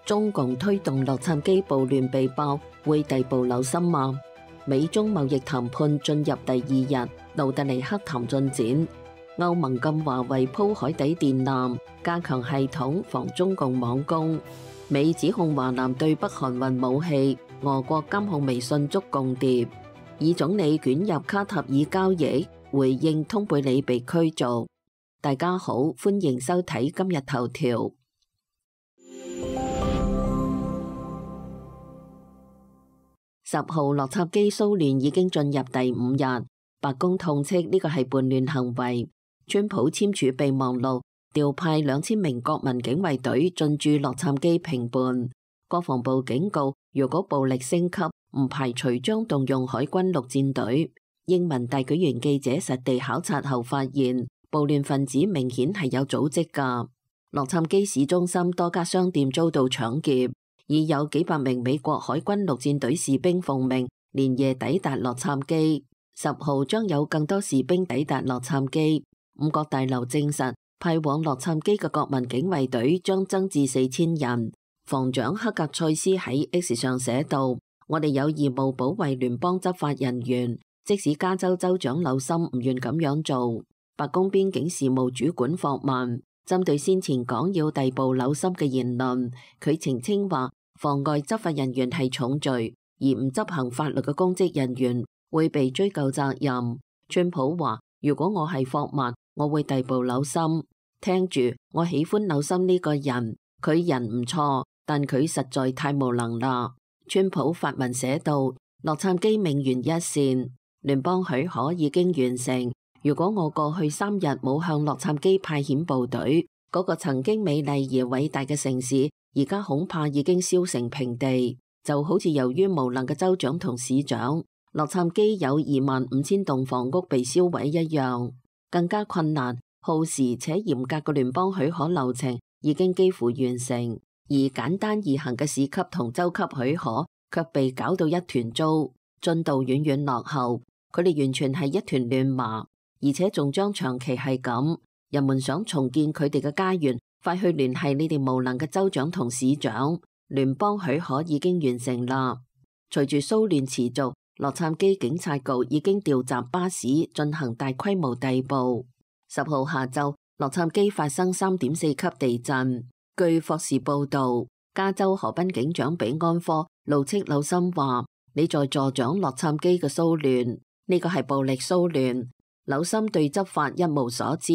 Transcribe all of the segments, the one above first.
中共推動洛杉磯暴亂被爆，會逮捕劉森嗎？美中貿易談判進入第2日，盧特尼克談進展。歐盟禁華為鋪海底電纜，加強系統防中共網攻。美指控華南對北韓運武器，俄國監控微信捉共諜。以總理捲入卡塔爾交易，回應通貝里被驅逐。大家好，歡迎收睇今日頭條。10號洛杉磯騷亂已經進入第5日，白宮痛斥呢個係叛亂行為。川普簽署備忘錄，調派2000名國民警衛隊進駐洛杉磯平叛。國防部警告，如果暴力升級，唔排除將動用海軍陸戰隊。英文大舉員記者實地考察後發現，暴亂分子明顯係有組織㗎。洛杉磯市中心多家商店遭到搶劫，已有幾百名美國海軍陸戰隊士兵奉命連夜抵達洛杉磯。10號將有更多士兵抵達洛杉磯。五角大樓證實，派往洛杉磯嘅國民警衛隊將增至4000人。防長克格塞斯喺 X 上寫道：我哋有義務保衛聯邦執法人員，即使加州州長紐森唔願咁樣做。白宮邊境事務主管霍曼針對先前講要逮捕紐森嘅言論，佢澄清話，妨礙執法人員係重罪，而唔執行法律嘅公職人員會被追究責任。川普話，如果我係霍曼，我會逮捕紐森。聽住，我喜歡紐森呢個人，佢人唔錯，但佢實在太無能啦。川普發文寫道：洛杉磯命懸一線，聯邦許可已經完成。如果我過去3日冇向洛杉磯派遣部隊，嗰個曾經美麗而偉大嘅城市，而家恐怕已經燒成平地。就好似由於無能嘅州長同市長，洛杉磯有25000棟房屋被燒毀一樣。更加困難、耗時且嚴格嘅聯邦許可流程已經幾乎完成，而簡單易行嘅市級同州級許可卻被搞到一團糟，進度遠遠落後。佢哋完全係一團亂麻，而且仲將長期係咁。人們想重建佢哋嘅家園，快去聯繫你哋無能嘅州長同市長。聯邦許可已經完成啦。隨住騷亂持續，洛杉磯警察局已經調集巴士進行大規模逮捕。10號下晝，洛杉磯發生3.4級地震。據霍士報道，加州河濱警長比安科怒斥紐森話：你在助長洛杉磯嘅騷亂，呢個係暴力騷亂。紐森對執法一無所知，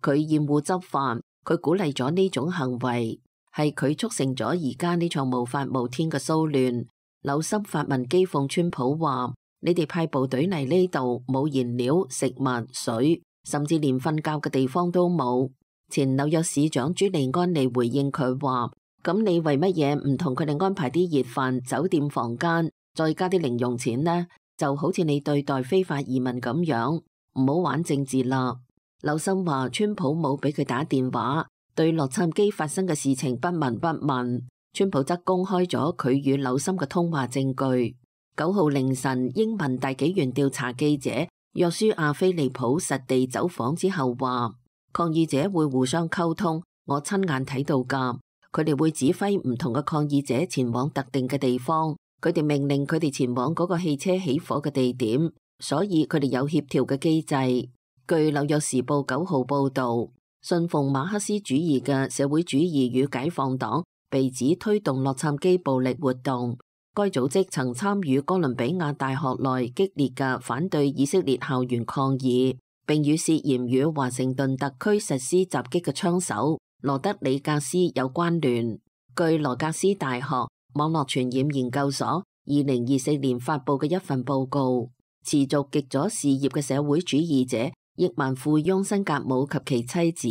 佢厭惡執法，佢鼓勵咗呢種行為，係佢促成咗而家呢場無法無天嘅騷亂。紐森發文譏諷川普話：你哋派部隊嚟呢度，冇燃料、食物、水，甚至連瞓覺嘅地方都冇。前紐約市長朱利安尼回應佢話：咁你為乜嘢唔同佢哋安排啲熱飯、酒店房間，再加啲零用錢呢？就好似你對待非法移民咁樣，唔好玩政治啦。紐森話川普冇俾佢打電話，對洛杉磯發生嘅事情不聞不問。川普則公開咗佢與紐森嘅通話證據。9號凌晨，英文大紀元調查記者約書亞菲利普實地走訪之後話，抗議者會互相溝通，我親眼睇到㗎。佢哋會指揮唔同嘅抗議者前往特定嘅地方，佢哋命令佢哋前往嗰個汽車起火嘅地點，所以佢哋有協調嘅機制。據紐約時報9號報導，信奉馬克思主義嘅社會主義與解放黨被指推動洛杉磯暴力活動。該組織曾參與哥倫比亞大學內激烈嘅反對以色列校園抗議，並與涉嫌與華盛頓特區實施襲擊嘅槍手羅德里格斯有關聯。據羅格斯大學網絡傳染研究所2024年發佈嘅一份報告，持續極左事業嘅社會主義者億萬富翁辛格姆及其妻子，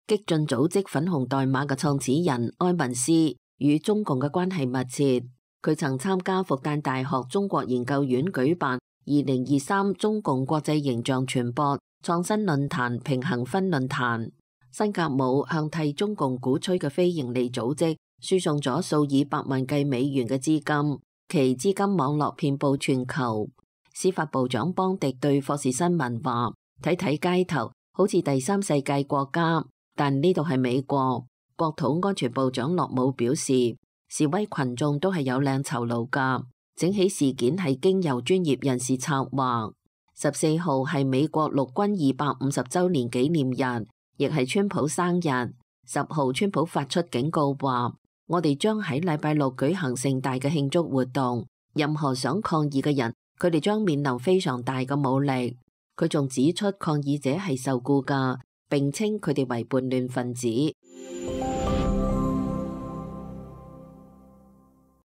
激進組織粉紅代碼嘅創始人埃文斯與中共嘅關係密切。佢曾參加復旦大學中國研究院舉辦2023中共國際形象傳播創新論壇平衡分論壇。辛格姆向替中共鼓吹嘅非營利組織輸送咗數以百萬計美元嘅資金，其資金網絡遍佈全球。司法部長邦迪對霍士新聞話：睇睇街頭好似第三世界國家，但呢度係美國。國土安全部長洛姆表示，示威群眾都係有領酬勞㗎。整起事件係經由專業人士策劃。14號係美國陸軍250週年紀念日，亦係川普生日。10號川普發出警告話，我哋將喺禮拜六舉行盛大嘅慶祝活動，任何想抗議嘅人，佢哋將面臨非常大嘅武力。佢仲指出抗議者係受僱㗎，並稱佢哋為叛亂分子。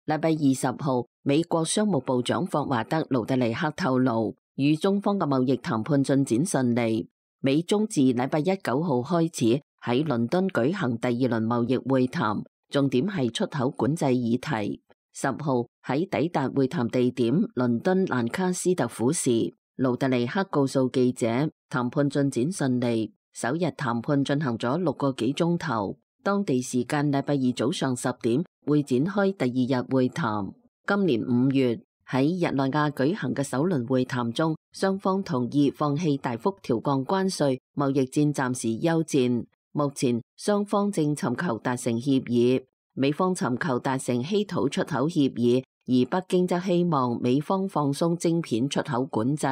禮拜20號，美國商務部長霍華德·盧特尼克透露，與中方嘅貿易談判進展順利。美中自禮拜9號開始喺倫敦舉行第2輪貿易會談，重點係出口管制議題。10號喺抵達會談地點倫敦蘭卡斯特府時，盧特尼克告訴記者，談判進展順利，首日談判進行咗6個幾鐘頭。當地時間禮拜2早上10點會展開第2日會談。今年5月喺日內瓦舉行嘅首輪會談中，雙方同意放棄大幅調降關稅，貿易戰暫時休戰。目前雙方正尋求達成協議，美方尋求達成稀土出口協議，而北京則希望美方放鬆晶片出口管制。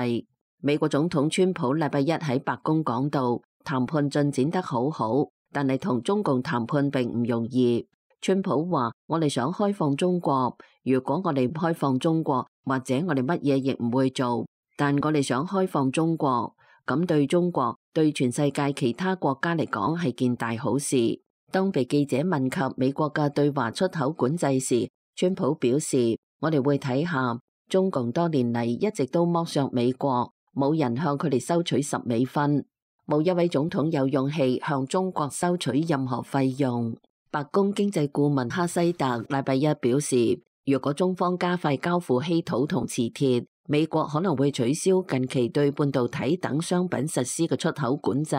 美國總統川普禮拜1喺白宮講到，談判進展得好好，但係同中共談判並唔容易。川普話：我哋想開放中國，如果我哋唔開放中國，或者我哋乜嘢亦唔會做。但我哋想開放中國，咁對中國、對全世界其他國家嚟講係件大好事。當被記者問及美國嘅對華出口管制時，川普表示：我哋會睇下，中共多年嚟一直都剝削美國，冇人向佢哋收取10美分，冇一位總統有勇氣向中國收取任何費用。白宮經濟顧問哈西特禮拜1表示，如果中方加快交付稀土同磁鐵，美國可能會取消近期對半導體等商品實施嘅出口管制。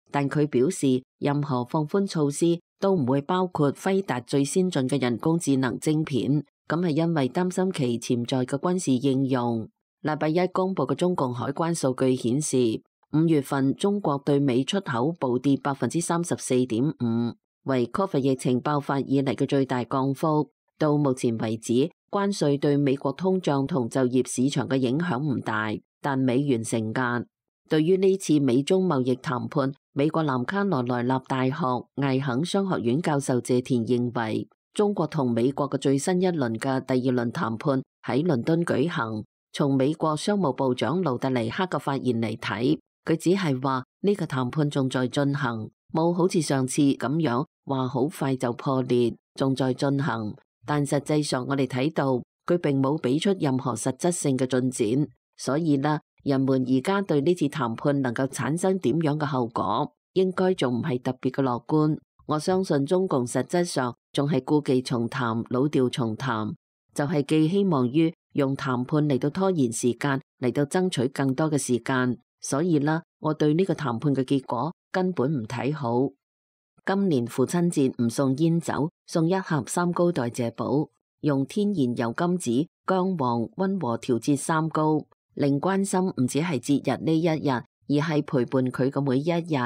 但佢表示，任何放寬措施都唔會包括輝達最先進嘅人工智能晶片，咁係因為擔心其潛在嘅軍事應用。禮拜1公布嘅中共海關數據顯示，5月份中國對美出口暴跌34.5%。為 Covid 疫情爆發以嚟嘅最大降幅。到目前為止，關稅對美國通脹同就業市場嘅影響唔大，但美元承壓。對於呢次美中貿易談判，美國南卡羅來納大學艾肯商學院教授謝田認為，中國同美國嘅最新一輪嘅第2輪談判喺倫敦舉行。從美國商務部長盧特尼克嘅發言嚟睇，佢只係話呢個談判仲在進行，冇好似上次咁樣話好快就破裂，仲在進行。但實際上我哋睇到佢並冇俾出任何實質性嘅進展，所以啦，人們而家對呢次談判能夠產生點樣嘅後果，應該仲唔係特別嘅樂觀。我相信中共實質上仲係故技重談，老調重彈，就係寄希望於用談判嚟到拖延時間，嚟到爭取更多嘅時間。所以啦，我對呢個談判嘅結果根本唔睇好。今年父親節唔送煙酒，送一盒三高代謝寶，用天然油甘子、薑黃溫和調節三高，令關心唔止係節日呢一日，而係陪伴佢嘅每一日。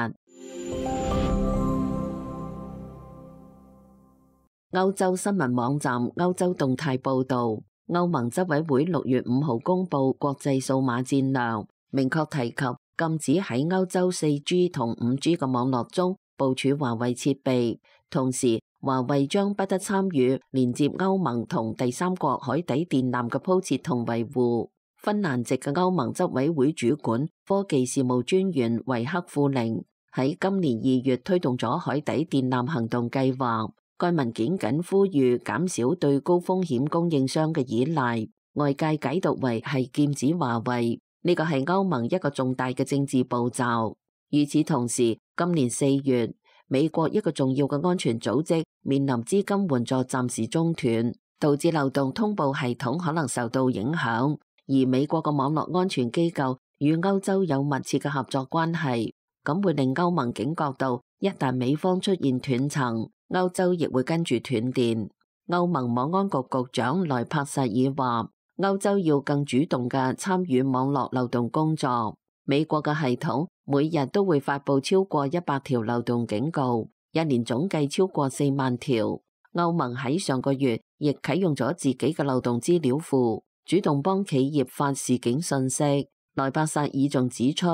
歐洲新聞網站歐洲動態報道，歐盟執委會6月5號公布國際數碼戰略，明確提及禁止喺歐洲 4G 同 5G 嘅網絡中部署華為設備，同時華為將不得參與連接歐盟同第三國海底電纜嘅鋪設同維護。芬蘭籍嘅歐盟執委會主管科技事務專員維克庫寧喺今年2月推動咗海底電纜行動計劃。該文件僅呼籲減少對高風險供應商嘅依賴，外界解讀為係劍指華為，呢個係歐盟一個重大嘅政治步驟。與此同時，今年4月，美國一個重要嘅安全組織面臨資金援助暫時中斷，導致流動通報系統可能受到影響。而美國嘅網絡安全機構與歐洲有密切嘅合作關係，咁會令歐盟警覺到，一旦美方出現斷層，歐洲亦會跟住斷電。歐盟網安局局長萊帕薩爾話，歐洲要更主動嘅參與網絡漏洞工作。美國嘅系統每日都會發佈超過100條漏洞警告，一年總計超過4萬條。歐盟喺上個月亦啟用咗自己嘅漏洞資料庫，主動幫企業發示警信息。萊伯薩爾仲指出，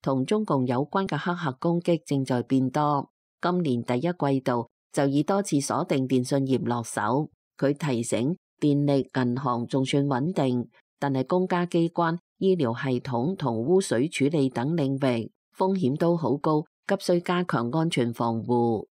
同中共有關嘅黑客攻擊正在變多，今年第一季度就以多次鎖定電信業落手。佢提醒，電力、銀行仲算穩定，但係公家機關、醫療系統同污水處理等領域風險都好高，急需加強安全防護。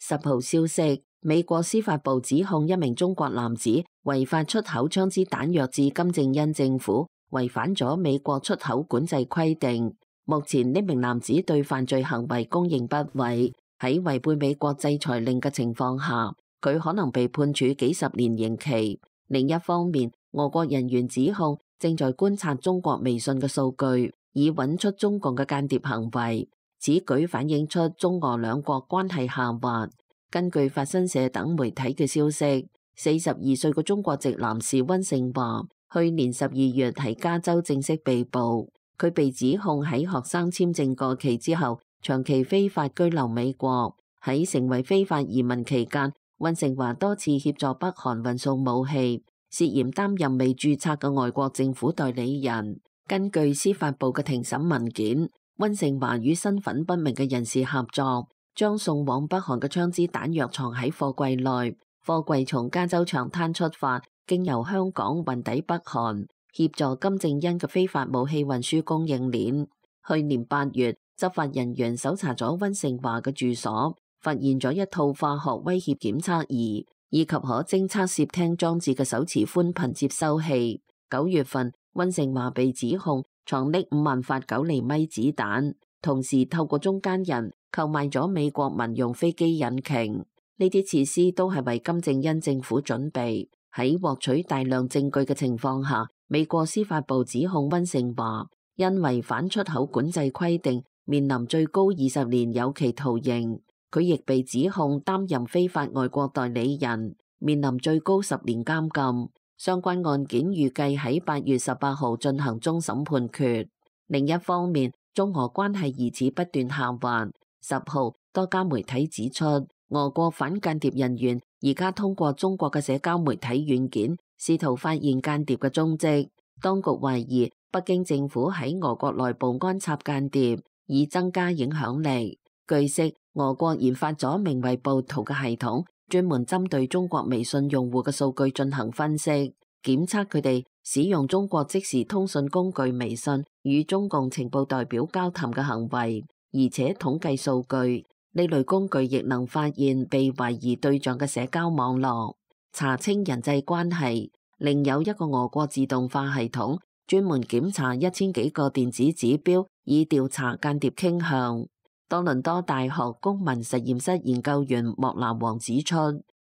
10號消息，美國司法部指控一名中國男子違法出口槍支彈藥至金正恩政府，違反咗美國出口管制規定。目前呢名男子對犯罪行為供認不諱，喺違背美國制裁令嘅情況下，佢可能被判處幾十年刑期。另一方面，俄國人員指控正在觀察中國微信嘅數據，以揾出中共嘅間諜行為。此舉反映出中俄兩國關係下滑。根據法新社等媒體嘅消息，42歲嘅中國籍男士溫勝華，去年12月喺加州正式被捕。佢被指控喺學生簽證過期之後，長期非法居留美國。喺成為非法移民期間，溫勝華多次協助北韓運送武器，涉嫌擔任未註冊嘅外國政府代理人。根據司法部嘅庭審文件，溫勝華與身份不明嘅人士合作，將送往北韓嘅槍支彈藥藏喺貨櫃內，貨櫃從加州長灘出發，經由香港運抵北韓，協助金正恩嘅非法武器運輸供應鏈。去年8月，執法人員搜查咗溫勝華嘅住所，發現咗一套化學威脅檢測儀，以及可偵測竊聽裝置嘅手持寬頻接收器。9月份，溫勝華被指控藏匿5萬發9厘米子彈，同時透過中間人購買咗美國民用飛機引擎。呢啲設施都係為金正恩政府準備。喺獲取大量證據嘅情況下，美國司法部指控溫勝華因違反出口管制規定，面臨最高20年有期徒刑。佢亦被指控擔任非法外國代理人，面臨最高10年監禁。相關案件預計喺8月18號進行終審判決。另一方面，中俄關係疑似不斷下滑。10號，多家媒體指出，俄國反間諜人員而家通過中國嘅社交媒體軟件，試圖發現間諜嘅蹤跡。當局懷疑北京政府喺俄國內部安插間諜，以增加影響力。據悉，俄國研發咗名為暴徒嘅系統，專門針對中國微信用戶嘅數據進行分析，檢測佢哋使用中國即時通訊工具微信與中共情報代表交談嘅行為，而且統計數據。呢類工具亦能發現被懷疑對象嘅社交網絡，查清人際關係。另有一個俄國自動化系統，專門檢查1000幾個電子指標，以調查間諜傾向。多倫多大學公民實驗室研究員莫南王指出，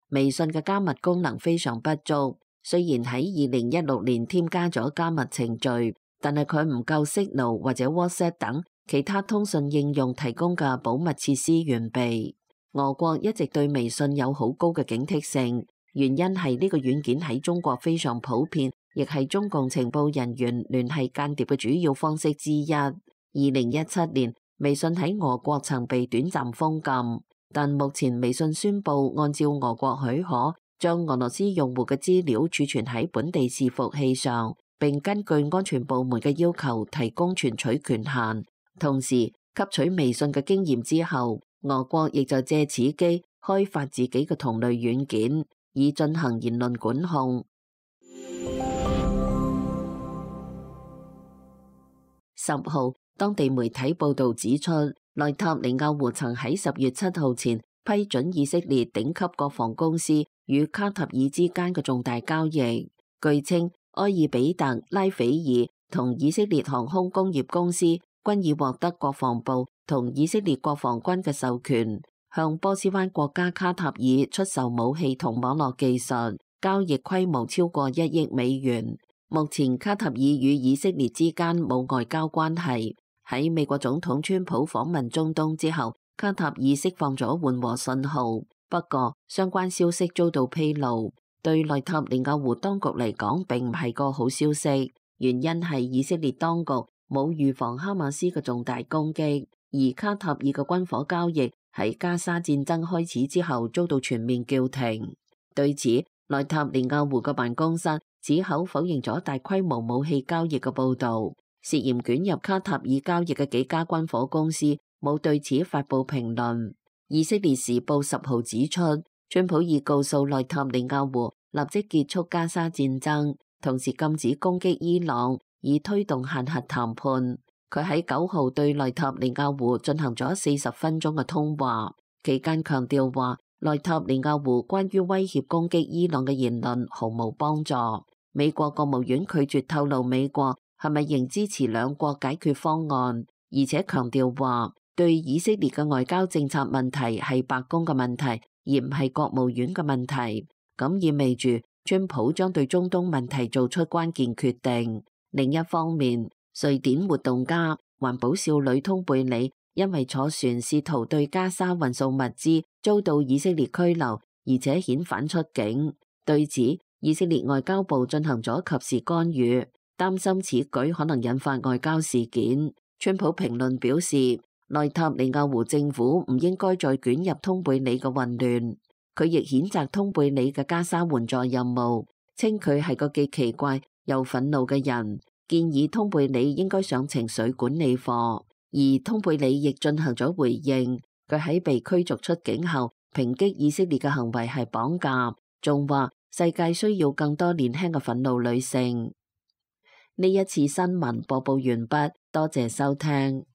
微信嘅加密功能非常不足。雖然喺2016年添加咗加密程序，但係佢唔夠 Signal 或者 WhatsApp 等其他通訊應用提供嘅保密設施完備。俄國一直對微信有好高嘅警惕性，原因係呢個軟件喺中國非常普遍，亦係中共情報人員聯繫間諜嘅主要方式之一。2017年，微信喺俄國曾被短暫封禁，但目前微信宣布按照俄國許可，將俄羅斯用戶嘅資料儲存喺本地伺服器上，並根據安全部門嘅要求提供存取權限。同時，吸取微信嘅經驗之後，俄國亦就借此機開發自己嘅同類軟件，以進行言論管控。10號，當地媒體報導指出，內塔尼亞胡曾喺10月7號前批准以色列頂級國防公司與卡塔爾之間嘅重大交易。據稱，埃爾比特、拉斐爾同以色列航空工業公司均已獲得國防部同以色列國防軍嘅授權，向波斯灣國家卡塔爾出售武器同網絡技術，交易規模超過1億美元。目前卡塔爾與以色列之間冇外交關係。喺美國總統川普訪問中東之後，卡塔爾釋放咗緩和信號，不過相關消息遭到披露，對內塔尼亞胡當局嚟講並唔係個好消息。原因係以色列當局冇預防哈馬斯嘅重大攻擊，而卡塔爾嘅軍火交易喺加沙戰爭開始之後遭到全面叫停。對此，內塔尼亞胡嘅辦公室矢口否認咗大規模武器交易嘅報導，涉嫌捲入卡塔爾交易嘅幾家軍火公司冇對此發布評論。以色列時報10號指出，川普已告訴內塔尼亞胡立即結束加沙戰爭，同時禁止攻擊伊朗，以推動限核談判。佢喺9號對內塔尼亞胡進行咗40分鐘嘅通話，期間強調話內塔尼亞胡關於威脅攻擊伊朗嘅言論毫無幫助。美國國務院拒絕透露美國係咪仍支持兩國解決方案，而且強調話對以色列嘅外交政策問題係白宮嘅問題，而唔係國務院嘅問題。咁意味住川普將對中東問題做出關鍵決定。另一方面，瑞典活動家環保少女通貝里因為坐船試圖對加沙運送物資，遭到以色列拘留，而且遣返出境。對此，以色列外交部進行咗及時干預，擔心此舉可能引發外交事件。川普評論表示，內塔尼亞胡政府唔應該再捲入通貝里嘅混亂。佢亦譴責通貝里嘅加沙援助任務，稱佢係個既奇怪又憤怒嘅人，建議通貝里應該上情緒管理課。而通貝里亦進行咗回應，佢喺被驅逐出境後，抨擊以色列嘅行為係綁架，仲話世界需要更多年輕嘅憤怒女性。呢一次新聞播報完畢，多謝收聽。